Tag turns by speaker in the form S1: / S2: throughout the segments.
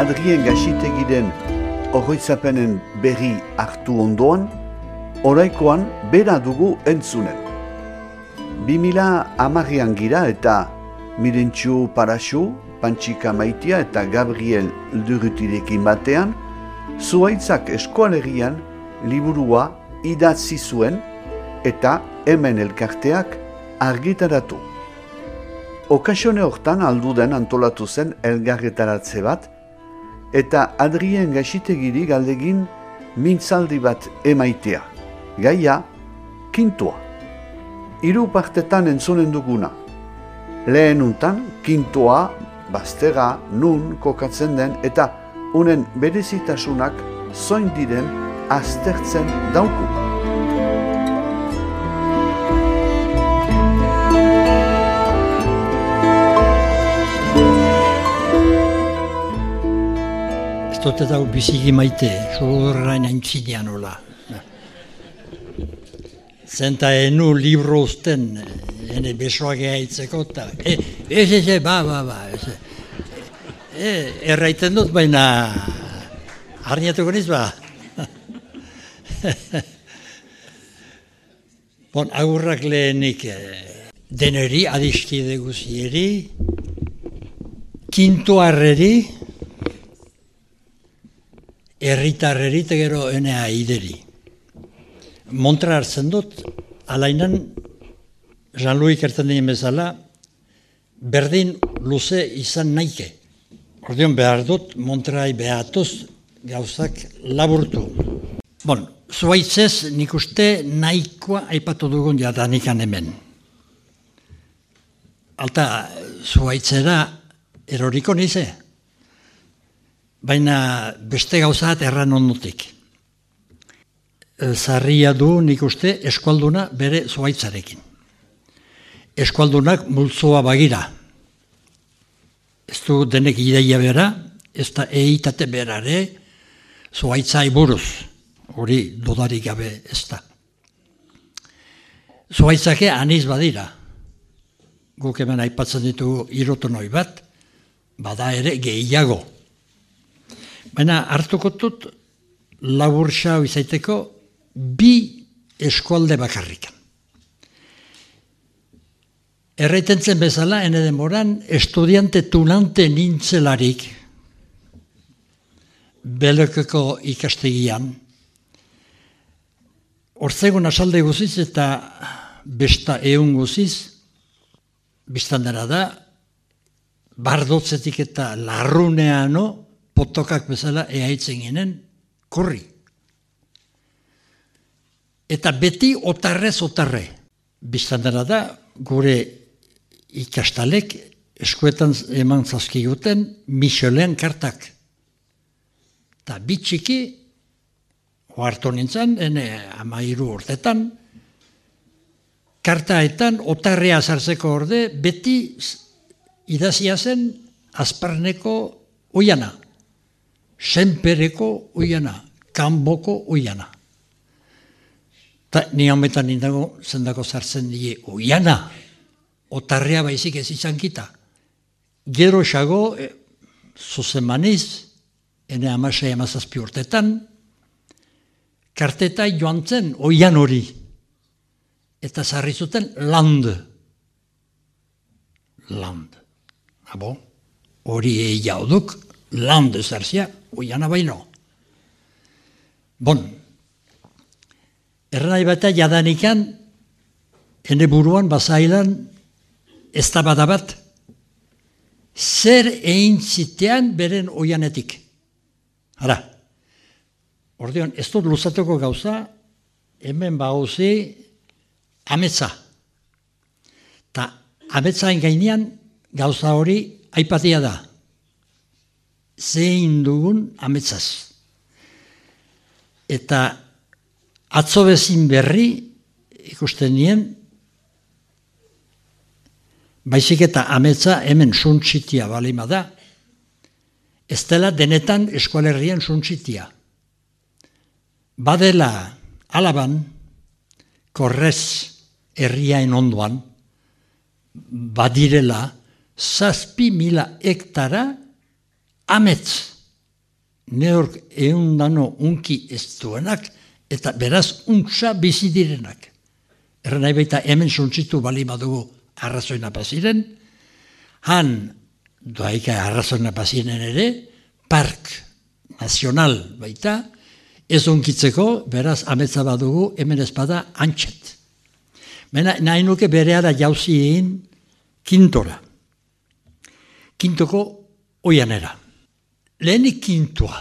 S1: Adrien Gaxitegiren oroitzapenen berri hartu ondoan, oraikoan bera dugu entzunen. 2010an gira eta Mirentxu Paraxu, Pantxika Maitia eta Gabriel Durrutirekin batean, Zuhaitzak Eskualerian liburua idatzi zuen eta hemen elkarteak argitaratu. Okasione hortan alduden antolatu zen elgarretaratze bat, eta Adrien Gaxitegiri galdegin mintzaldi bat emaitea. Gaia, kintua. 3 partetan entzunen duguna. Lehen untan, kintua, baztera, nun kokatzen den, eta unen berezitasunak zoin diren aztertzen dauku.
S2: Ez dut eta biziki maite, zorrain aintzinean hola. Zenta enu libro usten, ene besoak eaitzeko, eta erraiten dut, baina harniatuko niz ba. Bon, agurrak lehenik deneri, adiskide guzieri, kintuarreri, erritarreri, eta gero enea ideri. Montra hartzen dut, alainan, Jean-Louis kerten dien bezala, berdin luze izan naike. Ordeon behar dut, Montrai behatuz gauzak laburtu. Bon, zuhaitzez nik uste nahikoa aipatu dugun jadanikan hemen. Alta, zuhaitzera eroriko nize, baina beste gauzat erran ondotik. Zarria du nik uste eskualduna bere zuhaitzarekin. Eskualdunak multzoa bagira. Ez du denek ideia bera, ez da eitate berare zuhaitzai buruz. Hori dudarik gabe ez da. Zuhaitzake aniz badira. Guk hemen aipatzen ditugu irotonoi bat, bada ere gehiago. Baina hartuko dut laburxa izaiteko 2 eskualde bakarrikan. Erraitentzen bezala, ene demoran, estudiante tunante nintzelarik, Belekeko ikastegian, Ortzegon asalde guziz eta besta eun guziz, biztandera da, bardotzetik eta larruneano, potokak bezala eaitzen ginen, korri. Eta beti otarrez otarre. Biztandera da, gure ikastalek eskuetan eman zazkiguten Michelin kartak. Eta bitxiki, oartu nintzen, 13 urtetan, kartaetan otarrea zartzeko orde, beti idazia zen Azparneko oiana, Senpereko oiana, Kanboko oiana. Eta ni hometan nindago zendako zartzen die oiana, otarrea baizik ez izan kita. Gero xago, zuzen maniz, ene 16-17 urtetan, karteta joan zen oian hori. Eta zarri zuten land. Land. Abo, hori jauduk, land zarzia, oiana baino. Bon, erranai bata jadanikan, ene buruan, bazailan, ez da badabat, zer egin zitean beren oianetik. Hala, ordeon, ez dut luzatuko gauza, hemen bauzi ametsa. Ta ametsain gainean gauza hori aipatia da. Zein dugun ametsaz. Eta atzo bezin berri ikusten nien, baizik eta ametsa hemen suntsitia balima da, ez dela denetan eskualerrian suntsitia. Badela Alaban, Korrez herriain ondoan, badirela 7.000 hektara amets neork eundano unki ez duenak, eta beraz untsa bizi direnak. Erren nahi baita hemen suntzitu bali badugu arrazoina paziren, han doaika arrazoina paziren ere, park nazional baita, ez unkitzeko, beraz ametza badugu hemen ezpada antxet. Nahi nuke bereara jauzi egin kintora. Kintoko oianera. Lehenik kintua.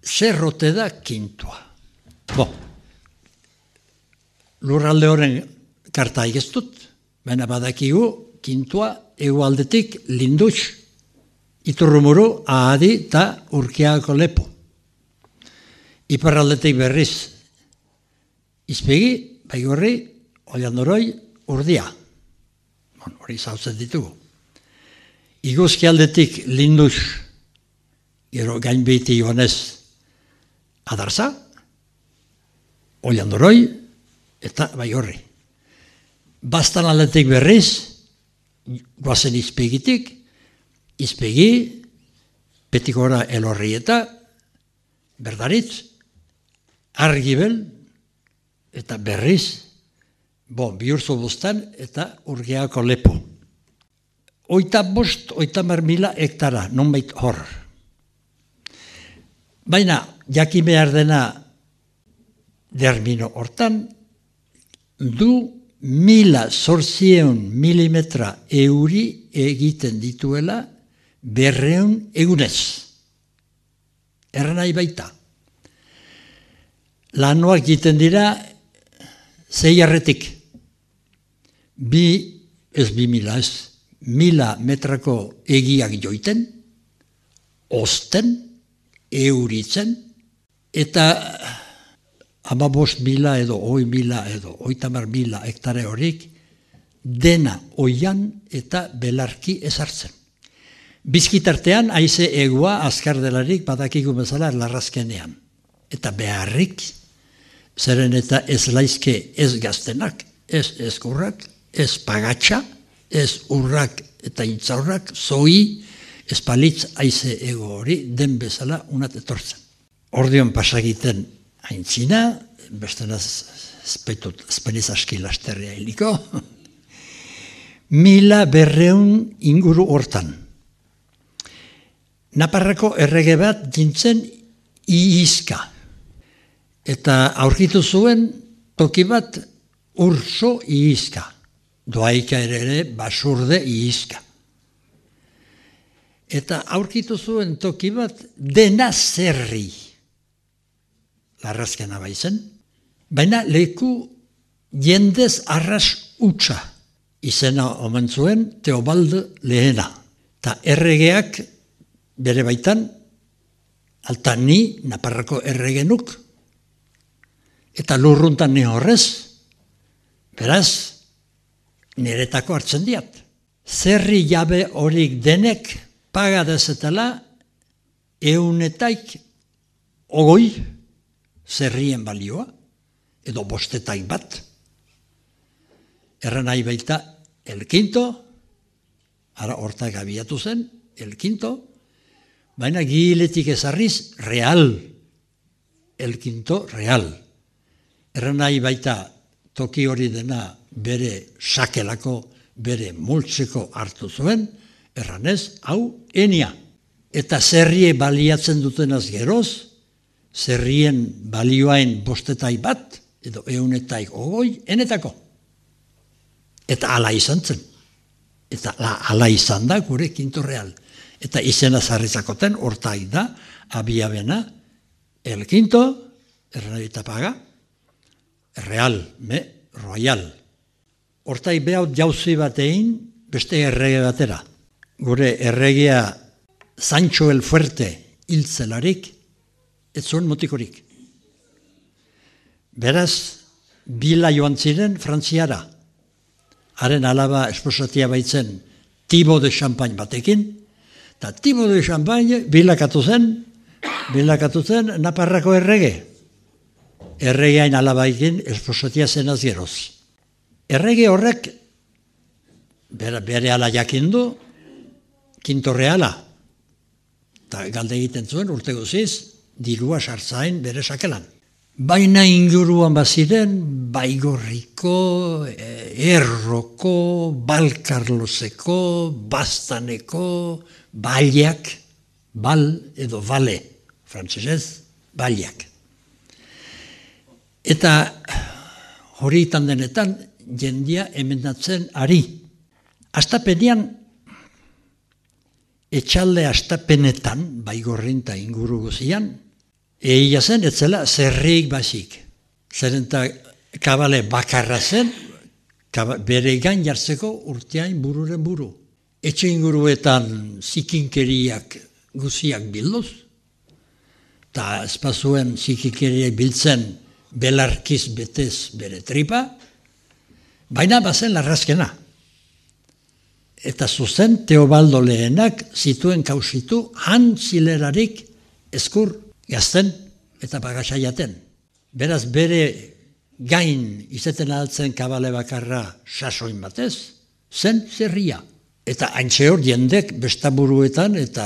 S2: Zerrote da kintua. Lurralde horren karta egeztut, baina badakigu kintua egualdetik Lindutx, Iturrumuru, Ahadi eta Urkiagako Lepo. Iparraldetik berriz Izpegi, Baigorri, Oiandoroi, Urdia. Hori zautzen ditugu. Iguzki aldetik Lindutx, gero gainbeiti joanez Adarza, Oiandoroi eta Baigorri. Bastan aldetik berriz, guazen Izpegitik, Izpegi, Petikora Elorrieta, Berdaritz, Argibel, eta berriz, Bihurtzu Bustan eta Urgiako Lepo. 35.000 hektara, nonbait hor. Baina, jakin behar dena dermino hortan, du 1.800 milimetra euri egiten dituela 200 egunez. Erranai baita. Lanoak egiten dira 6 arretik. 1.000 metrako egiak joiten, osten, euritzen, eta 15.000 edo 20.000 edo 30.000 hektare horik dena oian eta belarki ezartzen. Bizkitartean haize egua azkar delarik badakigu bezala larrazkenean. Eta beharrik, zeren eta ez laizke ez gaztenak, ez ezkurrak, ez pagatxa, ez urrak eta intzaurrak, zoi, ez palitz haize ego hori den bezala unat etortzen. Ordion pasagiten aintzina, bestenaz espeniz aski lasterria hiliko, 1.200 inguru hortan. Naparrako errege bat gintzen Iizka. Eta aurkitu zuen toki bat Urso Iizka. Doaika ere Basurde Iizka. Eta aurkitu zuen toki bat Dena Zerri. Larrazkena baizen. Baina leku jendez arras utxa. Izena omen zuen Teobaldo Lehena. Ta erregeak bere baitan, alta ni Naparrako erregenuk, eta lurruntan ni horrez, beraz, niretako hartzen diat. Zerri jabe horik denek pagadezetela 100 zerrien balioa, edo 51. Erran nahi baita El Quinto, ara hortak abiatu zen, El Quinto, baina giletik ezarriz real, El Quinto real. Erran nahi baita toki hori dena bere sakelako, bere multzeko hartu zuen, erranez, hau enia. Eta zerrie baliatzen dutenaz geroz, zerrien balioain 51, edo 120, enetako. Eta ala izan zen. Eta ala izan da gure Quinto real. Eta izena zarritzakoten, hortai da, abiabena, El Quinto, erranabita paga, real, royal. Hortai behaut jauzi batein, beste errege batera. Gure erregea Sancho el Fuerte hiltzelarik, ez zuen motikorik. Beraz, bila joan ziren Frantziara. Haren alaba esposatia baitzen Thibaut de Champagne batekin, eta Thibaut de Champagne bilakatu zen Naparrako errege. Erregeain alabaikin esposatia zenaz geroz. Errege horrek bere ala jakindu Quinto reala. eta galde egiten zuen urte guziz, dirua sartzain bere sakelan. Baina inguruan baziren, Baigorriko, Erroko, Balkarlozeko, Bastaneko, Baliak, Bal edo Bale, frantsesez, Baliak. Eta hori itan denetan, jendia emendatzen ari. Astapenean, etxalde astapenetan, Baigorrin eta inguru guzian, egia zen, etzela zerrik basik. Zeren eta kabale bakarra zen, bere gain jartzeko urteain bururen buru. Etxe inguruetan zikinkeriak guziak bilduz, eta espazuen zikinkeriak biltzen belarkiz betez bere tripa, baina bazen larrazkena. Eta zuzen Teobaldo lehenak zituen kausitu han zilerarik eskur gazten eta bagasaiaten. Beraz bere gain izeten altzen kabale bakarra sasoin batez, zen zerria. Eta haintxe hor jendek bestaburuetan eta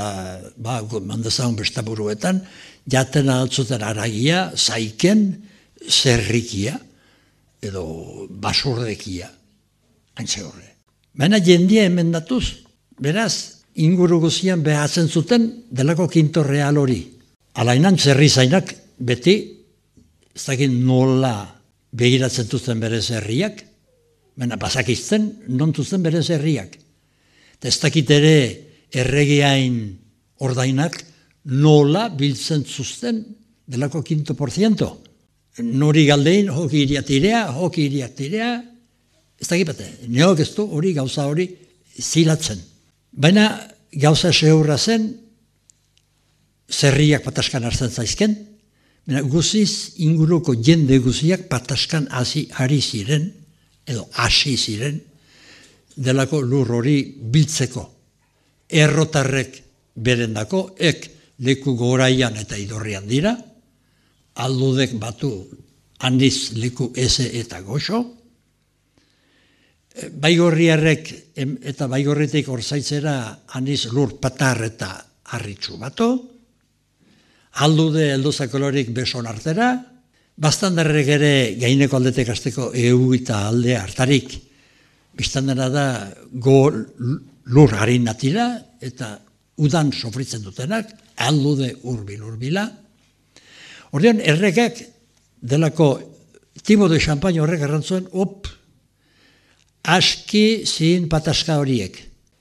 S2: mandezaun bestaburuetan jaten altzuten aragia, zaiken, zerrikia edo basurdekia haintxe horre. Baina jendia emendatuz, beraz, inguru guzian behatzen zuten delako kinto real hori. Alainan zerri zainak beti, ez dakit nola begiratzen duten bere zerriak, baina basakizten non duten bere zerriak. Eta ez dakit ere erregeain ordainak nola biltzen zuzten delako kinto %. Nori galdein, hoki iriak tirea, ez dakit bate, neok ez du hori gauza hori zilatzen. Baina gauza sehurra zen, zerriak pataskan hartzen zaizken, baina guziz inguruko jende guziak pataskan ari ziren, edo hasi ziren, delako lur hori biltzeko. Errotarrek berendako, leku goraian eta idorrian dira, aldudek batu handiz leku eze eta goxo, Baigorriarrek eta Baigorritik orzaitzera handiz lur patar eta harritxu batu, aldude eldozakolorik beson artera, bastandarrek ere gaineko aldetek azteko eta alde hartarik, biztandera da lur harin natira eta udan sofritzen dutenak, aldude urbila. Ordean, errekak delako Tibo de Champagne horrek errantzuen, aski zin pataska horiek.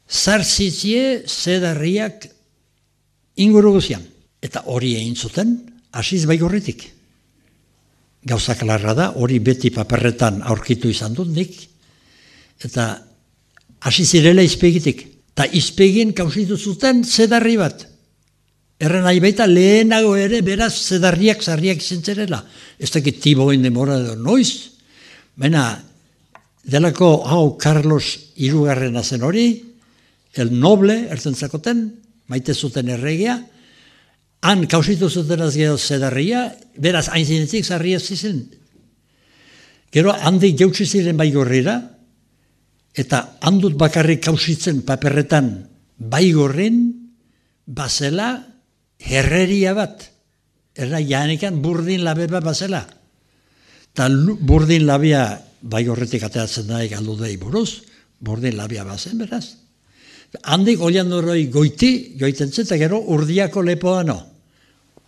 S2: Zarzitzie zedarriak inguru guzian. Eta hori egin zuten, hasiz Baigorritik. Gauzak larra da, hori beti paperretan aurkitu izan dut nik, eta hasi zirela izpegitik. Eta izpegin kausitu zuten zedarri bat. Erren nahi baita lehenago ere beraz zedarriak zarriak izentzerela. Ez dakit Tiboen demora edo noiz, baina delako hau Carlos hirugarrena zen hori, el noble ertentzakoten, maite zuten erregia, han kausitu zuten azgeo zedarria, beraz hain zinetik zarria zizen. Gero handik jautsi ziren Baigorrira, eta handut bakarrik kausitzen paperretan Baigorrin bazela herreria bat. Erra janekan burdin labe bat bazela. Eta burdin labia Baigorretik ateratzen daik aldudei buruz, burdin labia bazen beraz. Handik olian doroi joiten zen, eta gero urdiako lepoa no.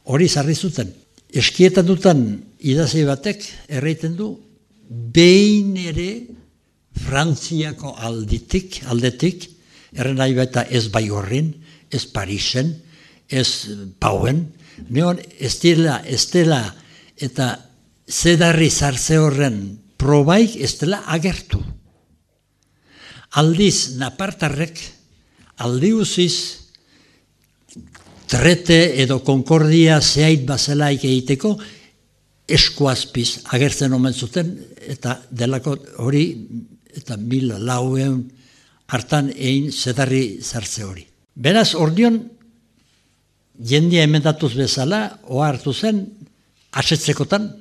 S2: Hori zarri zuten. Eskietan dutan idazi batek erreiten du, behin ere Frantziako aldetik, erren nahi baita ez Baigorrin, ez Parisen, ez Pauen, neon estela eta zedarri zartze horren probaik ez dela agertu. Aldiz, napartarrek, aldi uziz, trete edo konkordia zehait bazelaik egiteko, eskuazpiz agertzen omen zuten, eta delako hori, eta 1400 hartan egin zedarri zartze hori. Beraz, ordion, jendia emendatuz bezala, oa hartu zen, asetzekotan,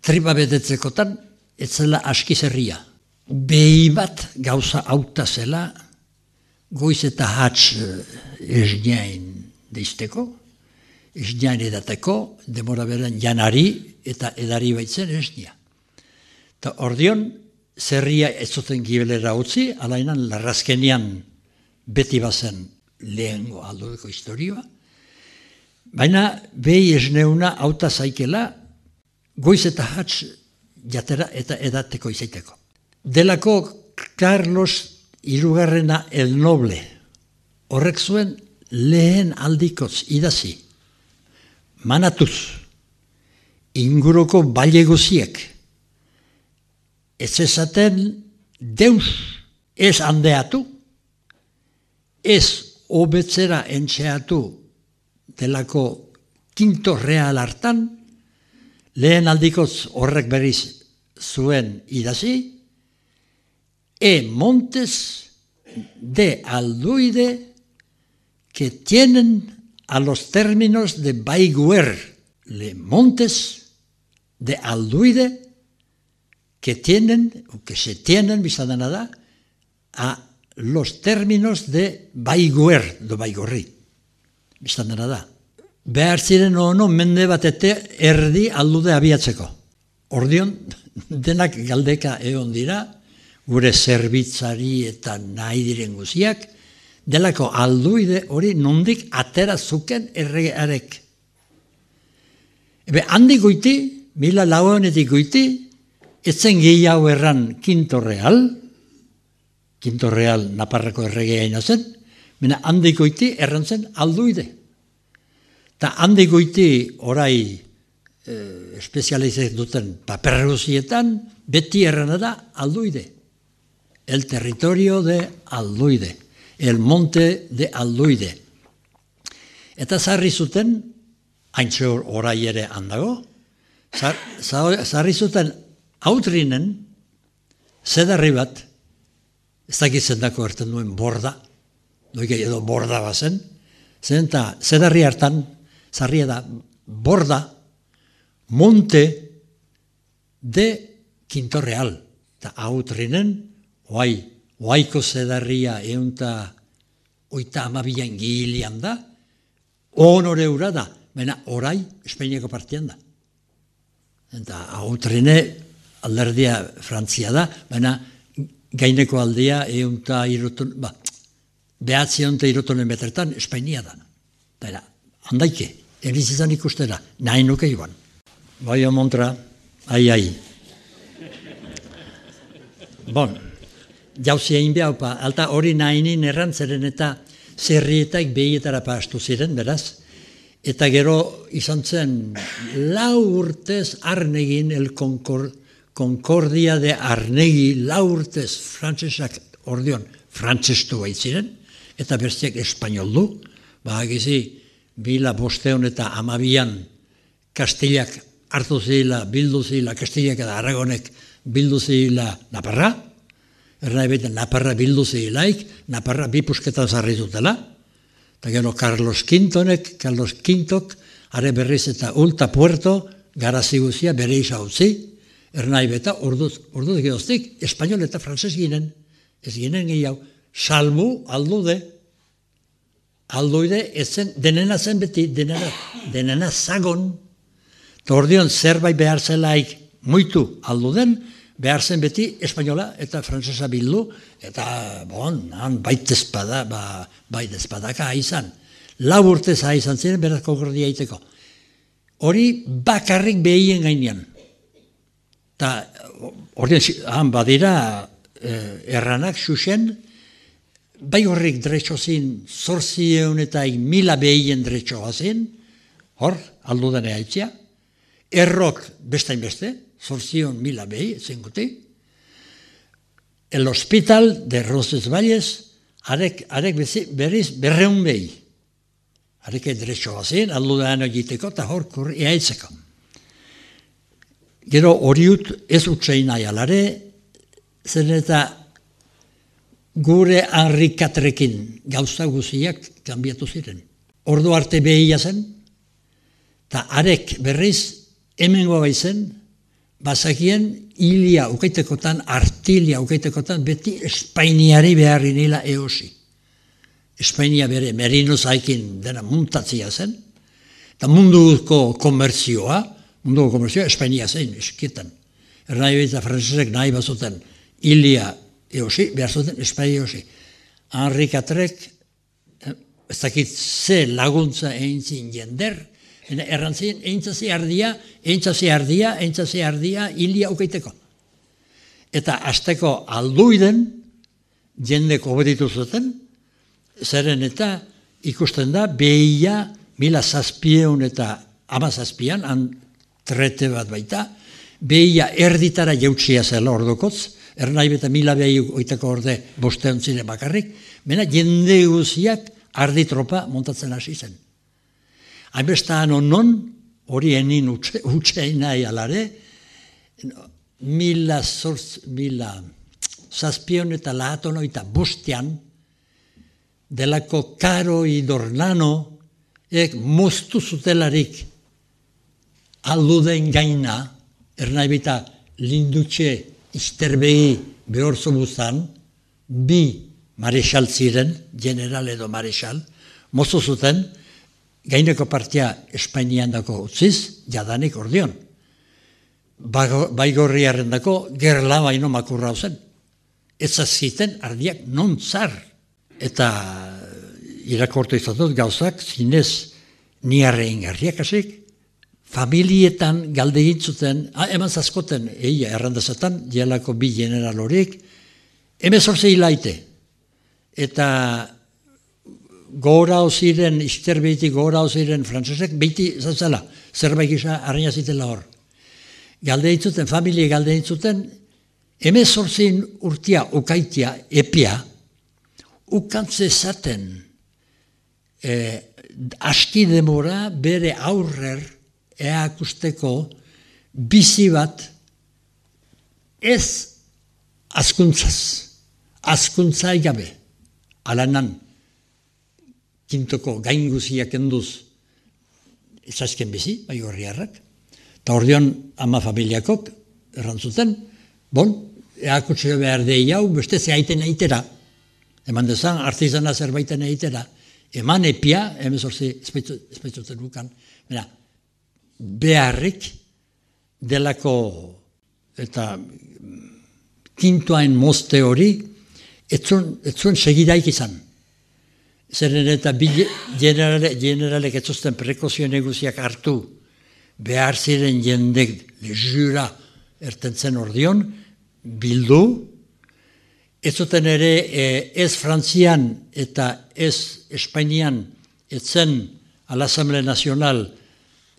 S2: tripa betetzekotan, ez zela aski zerria. Behi bat gauza auta zela, goiz eta hatz esneain deizteko, ez nian edateko, demora beren janari eta edari baitzen ez nia. Eta ordion, zerria ez zuten gibelera utzi, alainan larrazkenian beti bazen lehengo aldudeko historioa, baina behi esneuna auta zaikela goiz eta hatz jatera eta edateko izaiteko. Delako Carlos Hirugarrena el Noble, horrek zuen lehen aldikoz idazi, manatuz, inguruko baile guziek, ez esaten deus ez handeatu, ez hobetzera entxeatu delako quinto real hartan, lehen aldikoz horrek berriz zuen idazi, montes de Alduide que tienen a los términos de Baigüer, le montes de Alduide que tienen, o que se tienen, bizada nada, a los términos de Baigüer, de Baigorri, bizada nada. Behar ziren ono mende batete erdi aldude abiatzeko. Ordion, denak galdeka egon dira, gure zerbitzari eta nahi diren guziak, delako alduide hori nondik atera zuken erregearek. Handik goiti, 1400 goiti, etzen gehiago erran Quinto Real Naparrako erregea zen, mena handik goiti erran zen alduide. Ta handik goiti orai espezializek duten paperguzietan, beti errana da alduide. El territorio de Alduide, el monte de Alduide. Eta zarri zuten, haintxe orai ere handago, zarri zuten Autrinen, zedarri bat, ez dakitzen dako erten duen borda, doike edo borda bazen, zedarri hartan, zarria da, borda, monte de Quinto Real. Eta Autrinen, oaiko zedarria eunta oita amabian gilian da, honore ura da, baina orai Espainiako partian da. Eta Autrine alderdia Frantzia da, baina gaineko aldea eunta irutun, behatzi eunta irutunen betretan Espainia da. Eta handaike, erizizan ikustera, nahi nuke joan. Bai omontra, ai. Bon. Jauzia inbiaupa, alta hori nahinin errantzeren eta zerrietaik behietara pastu ziren, beraz. Eta gero izan zen 4 urtez Arnegin, el Concordia de Arnegi, 4 urtez frantzesak ordion frantzestu baitziren, eta bestiak espainol du, bagizi 1500 eta 12an Kastillak hartu zila, bildu zila, Kastillak eta Aragonek bildu zila Naparra, Ernai beten, Naparra bildu zilaik, Naparra bi pusketan zarri dutela, eta gero Carlos Quintok, are berriz eta Ulta Puerto, garazi guzia bere isa utzi, Ernai beta, orduz geroztik, espainol eta frantzes ginen, ez ginen gehiago, salbu alduide, ezen, denena zen beti, denena zagon, eta ordion zerbait behar zelaik muitu alduden, behar zen beti espainola eta frantzesa bildu, eta han baitezpadaka haizan. 4 urtez haizan ziren, beraz Concordia iteko. Hori bakarrik behien gainean. Eta han badira erranak xuxen, bai horrik dretxozin 800 eta 1000 behien dretxoazin, hor, aldudan eaitzia, errok bestain beste, 800.000 behi, zenguti. El hospital de Roncesvalles, arek berriz 200 behi. Arek edretxo bazien, aldudan egiteko, eta hor kurri eaitzeko. Gero horiut ez utzein nahi alare, zen eta gure Henri IV-rekin gauza guziak kanbiatu ziren. Ordu arte behia zen, eta arek berriz hemengo baizen, bazakien hilia ukaitekotan, artilia ukaitekotan, beti Espainiari beharri nila eosi. Espainia bere merino zaikin dena muntatzia zen, eta munduko komertzioa Espainia zein, eskietan. Ernai behitza frantzesek nahi bazuten hilia eosi, behar zuten Espainia eosi. Henri Katrek, ez dakit ze laguntza eintzin jender, errantzien eintzazi ardia, hilia ukeiteko. Eta azteko alduiden, jendeko obeditu zuten, zeren eta ikusten da, behia 1700 eta 1700, han trete bat baita, behia erditara jautsia zela ordokotz, ernai beta 1200 orde bostean ziren bakarrik, mena jende guziak arditropa montatzen hasi zen. Hainbestaan onon, hori enin utxein nahi alare, 1700 eta lahaton oita bostean, delako Karo Idornano, moztu zutelarik alduden gaina, ernai bita lindutxe izterbegi behor zobuzan, bi marexal ziren, general edo marexal, moztu zuten, gaineko partia Espainian dako utziz, jadanik ordion. Baigorriaren dako gerla baino makurra zen. Ez zazkiten ardiak non zar. Eta irakortu izatut gauzak, zinez niarrein garriak asik, familietan galde gintzuten, eman zazkoten, errandazetan, jelako bi general horiek, 18 hilaite. Eta gora ziren, izterbeitik gora ziren frantzesek, beiti zatzela, zerbait gisa arraina zitela hor. Galde gintzuten, familie galde gintzuten, 18 urtia ukaitia, epia, ukantze zaten, aski demora bere aurrer eakusteko bizi bat ez askuntzai gabe, alanan, kintoko gain guziak enduz ezazken bizi, Baigorriarrak, eta ordeon ama familiakok errantzuten, eakutzio behar dei hau, beste zehaiten eitera, eman dezan, artizana zerbaiten eitera, eman epia, emezorzi espeitzoten bukan, beharrik delako eta kintoain mozte hori, etzuen segidaik izan. Zeren eta bi generalek etzuzten prekozio neguziak hartu, behar ziren jendek jura ertentzen ordion, bildu, ez zuten ere ez Frantzian eta ez Espainian etzen a l'Assemblée Nacional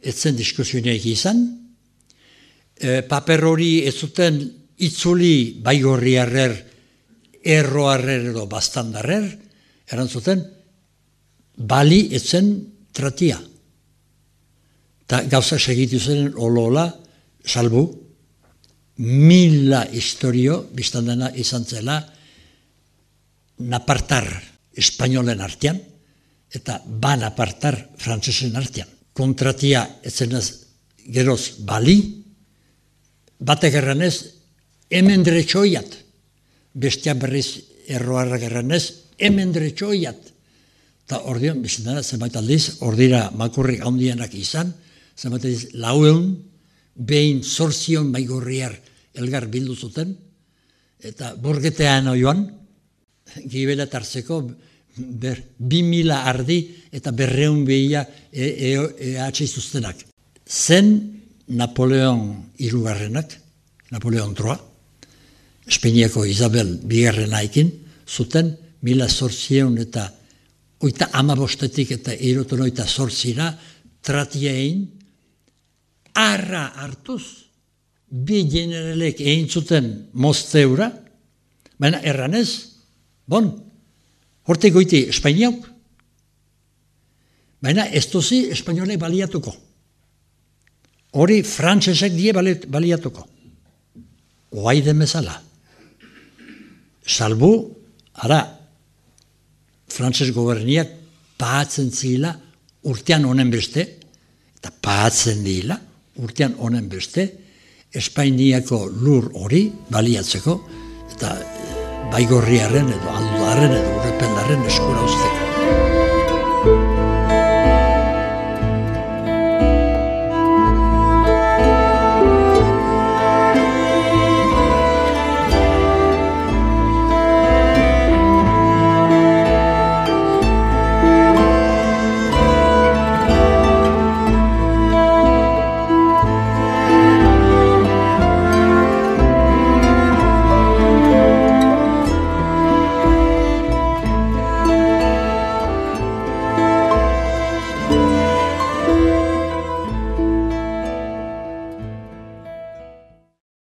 S2: etzen diskusioneak izan, paper hori ez zuten itzuli Baigorriarrer, erroarrer edo bastandarrer, erantzuten, bali etzen tratia. Ta gauza segitu zen olola, salbu, 1000 historio, biztandena izan zela, napartar espainolen artean, eta napartar frantzesen artean. Kontratia etzenaz geroz bali, batek erranez, hemen dretxoiat, bestia berriz erroarrak erranez, hemen dretxoiat. Eta ordean, biztandena, zenbait aldiz, ordira makurrik handienak izan, zenbait aldiz, 400, behin 800 Baigorriar elgar bildu zuten, eta burgetean oioan, gibela tartzeko 2000 ardi eta 200 behia atxeizuztenak. Zen Napoleon irugarrenak, Napoleon III, Espainiako Isabel bigarrenaikin, zuten 1800 eta 15 eta 18 tratiein, arra hartuz, bi generalek egin zuten mozteura, baina erranez, hortik goiti Espainiauk, baina ez dozi espainolek baliatuko. Hori frantzesek die baliatuko. Oai demezala. Salbu, ara, frantzes goberniak pahatzen zila urtean honen beste, eta pahatzen dila, urtean honen beste, Espainiako lur hori baliatzeko, eta Baigorriaren edo Alduarren edo Urrependarren eskura uzteko.